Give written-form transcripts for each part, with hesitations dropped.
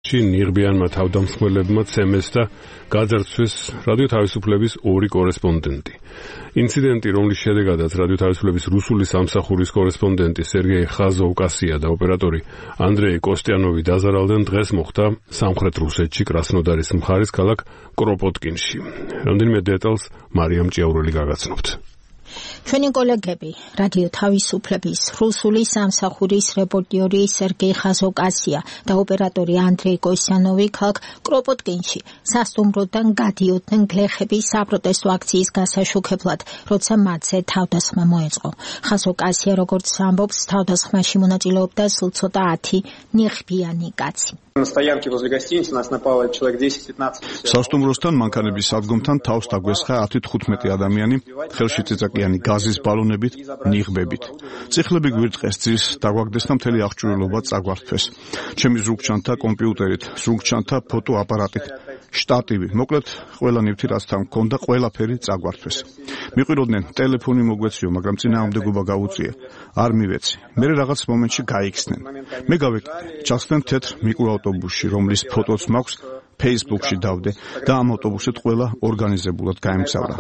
ნიღბიანმა თავდამსხმელებმა ცემეს და გაძარცვეს რადიო თავისუფლების 2 კორესპონდენტი. ინციდენტი, რომლის შედეგადაც რადიო თავისუფლების რუსული სამსახურის კორესპონდენტი სერგეი ხაზოვკასია და ოპერატორი ანდრეი კოსტიანოვი დაზარალდნენ, დღეს მოხდა სამხრეთ რუსეთში კრასნოდარის მხარის ქალაქ კროპოტკინში. რამდენიმე დეტალს მარიამ ჭიაურელი გაგაცნობთ. ჩვენი კოლეგები რადიო თავისუფლების რუსული სამსახურის რეპორტიორი სერგეი ხაზოვკასია და ოპერატორი ანდრეი კოსტიანოვი ქალაქ კროპოტკინში სასტუმროდან გადიოდნენ გლეხების საპროტესტო აქციის გასაშუქებლად, როცა მათზე თავდასხმა მოეწყო. ხაზოვკასია, როგორც ამბობს, თავდასხმაში მონაწილეობდა სულ ცოტა 10 ნიღბიანი კაცი. სასტუმროსთან მანქანების სადგომთან თავს დაგვესხა 10-15 ადამიანი, ხელში წიწაკიანი გაზის ბალონებით, ნიღბებით. წიხლები გვირტყეს, ძირს დაგვაგდეს და მთელი აღჭურვილობა წაგვართვეს. ჩემი ზრუგჩანთა კომპიუტერით, ზრუგჩანთა ფოტოაპარატით, შტატივი, მოკლედ ყველა ნივთი რაც თან მქონდა, ყველაფერი წაგვართვეს. მიყვიროდნენ ტელეფონი მოგვეციო, მაგრამ წინააღმდეგობა გაუწიე. არ მივეცი. მე რაღაც მომენტში გაიქცნენ. მე გავეკიდე, ჩახსნემ თეთრ მიკროავტობუსში, რომლის ფოტოც მაქვს, Facebook-ში დავდე და ამ ავტობუსით ყველა ორგანიზებულად გაემგზავრა.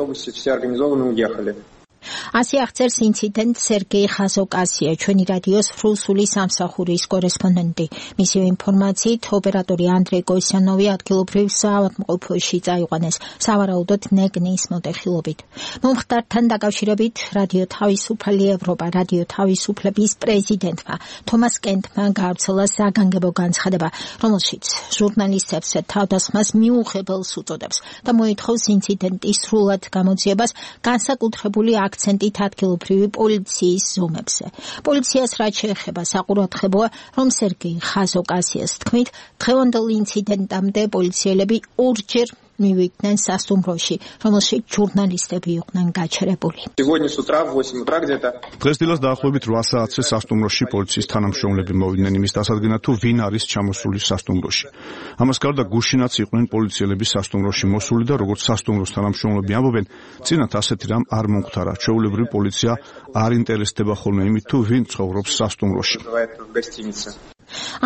ასე აღწერს ინციდენტ სერგეი ხაზოვკასია, ჩვენი რადიოს რუსული სამსახურის კორესპონდენტი. მისი ინფორმაციით, ოპერატორი ანდრეი კოსტიანოვი ადგილობრივ საავადმყოფოში წაიყვანეს, სავარაუდოდ ნეგნის მოტეხილობით. მომხდართან დაკავშირებით რადიო თავისუფალი ევროპა რადიო თავისუფლების პრეზიდენტმა თომას კენტმა გავრცელა საგანგებო განცხადება, რომელშიც ჟურნალისტებს თავდასხმას მიუღებელს უწოდებს და მოითხოვს ინციდენტის სრულად გამოძიებას განსაკუთრებული აქცენტით ადგილობრივი პოლიციის ზომებზე. პოლიციას რაც შეეხება, საყურადღებოა, რომ სერგეი ხაზოვკასიას თქმით, დღევანდელ ინციდენტამდე პოლიციელები 2-ჯერ მივიდნენ სასტუმროში, რომელშიც ჟურნალისტები იყვნენ გაჩერებული. დღეს დილას დაახლოებით 8 საათზე სასტუმროში პოლიციის თანამშრომლები მოვიდნენ იმის დასადგენად, თუ ვინ არის ჩამოსული სასტუმროში. ამას გარდა გუშინაც იყვნენ პოლიციელები სასტუმროში მოსული და როგორც სასტუმროს თანამშრომლები ამბობენ, წინათ ასეთი რამ არ მომხდარა. ჩვეულებრივი პოლიცია არ ინტერესდება ხოლმე იმით, თუ ვინ ცხოვრობს სასტუმროში.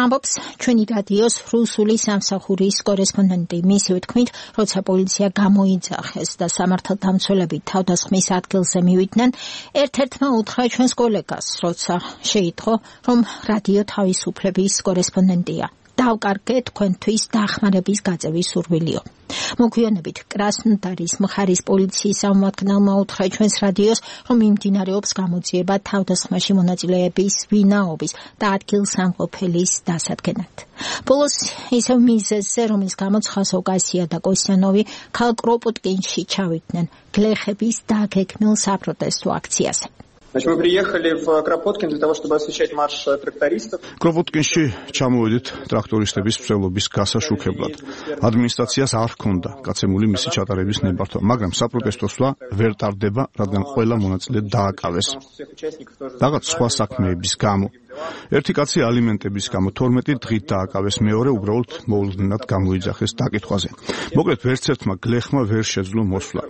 ამბობს ჩვენი რადიოს რუსული სამსახურის კორესპონდენტი. მისივე თქმით, როცა პოლიცია გამოიძახეს და სამართალდამცველები თავდასხმის ადგილზე მივიდნენ, ერთ-ერთმა უთხრა ჩვენს კოლეგას, როცა შეიტყო, რომ რადიო თავისუფლების კორესპონდენტია. დავკარგე თქვენთვის დახმარების გაწევის სურვილიო. მოგვიანებით კრასნოდარის მხარის პოლიციის წარმომადგენელმა უთხრა ჩვენს რადიოს, რომ მიმდინარეობს გამოძიება თავდასხმაში მონაწილეების ვინაობის და ადგილსამყოფელის დასადგენად. ბოლოს ისევ მიზეზზე, რომლის გამოც ხაზოვკასია და კოსტიანოვი ქალაქ კროპოტკინში ჩავიდნენ გლეხების დაგეგმილ საპროტესტო აქციაზე. Мы приехали в Кропоткин для того, чтобы освещать марш трактористов. კროპოტკინში ჩამოვედით ტრაქტორისტების მსვლელობის გასაშუქებლად. ადმინისტრაციას არ ჰქონდა გაცემული მისი ჩატარების ნებართვა, მაგრამ საპროტესტო სვლა ვერ ტარდება, რადგან ყველა მონაწილე დააკავეს. რაღაც სხვა საქმეების გამო. ერთი კაცი ალიმენტების გამო 12 დღით დააკავეს, მეორე უბრალოდ მოულოდნელად გამოიძახეს დაკითხვაზე. მოკლედ ვერც ერთმა გლეხმა ვერ შეძლო მოსვლა.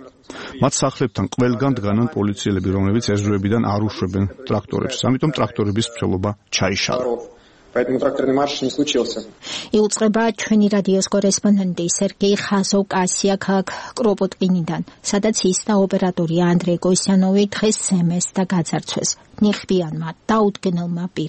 მათ სახლებთან ყველგან დგანან პოლიციელები, რომლებიც ეზოებიდან არ უშვებენ ტრაქტორებს, ამიტომ ტრაქტორების მსვლელობა ჩაიშალა. Поэтому тракторный марш не случился. იუწყება ჩვენი რადიოს კორესპონდენტი სერგეი ხაზოვკასია ქალაქ კროპოტკინიდან, სადაც ის და ოპერატორი ანდრეი კოსტიანოვი დღეს ცემეს და გაძარცვეს ნიღბიანმა დაუდგენელმა პირებმა.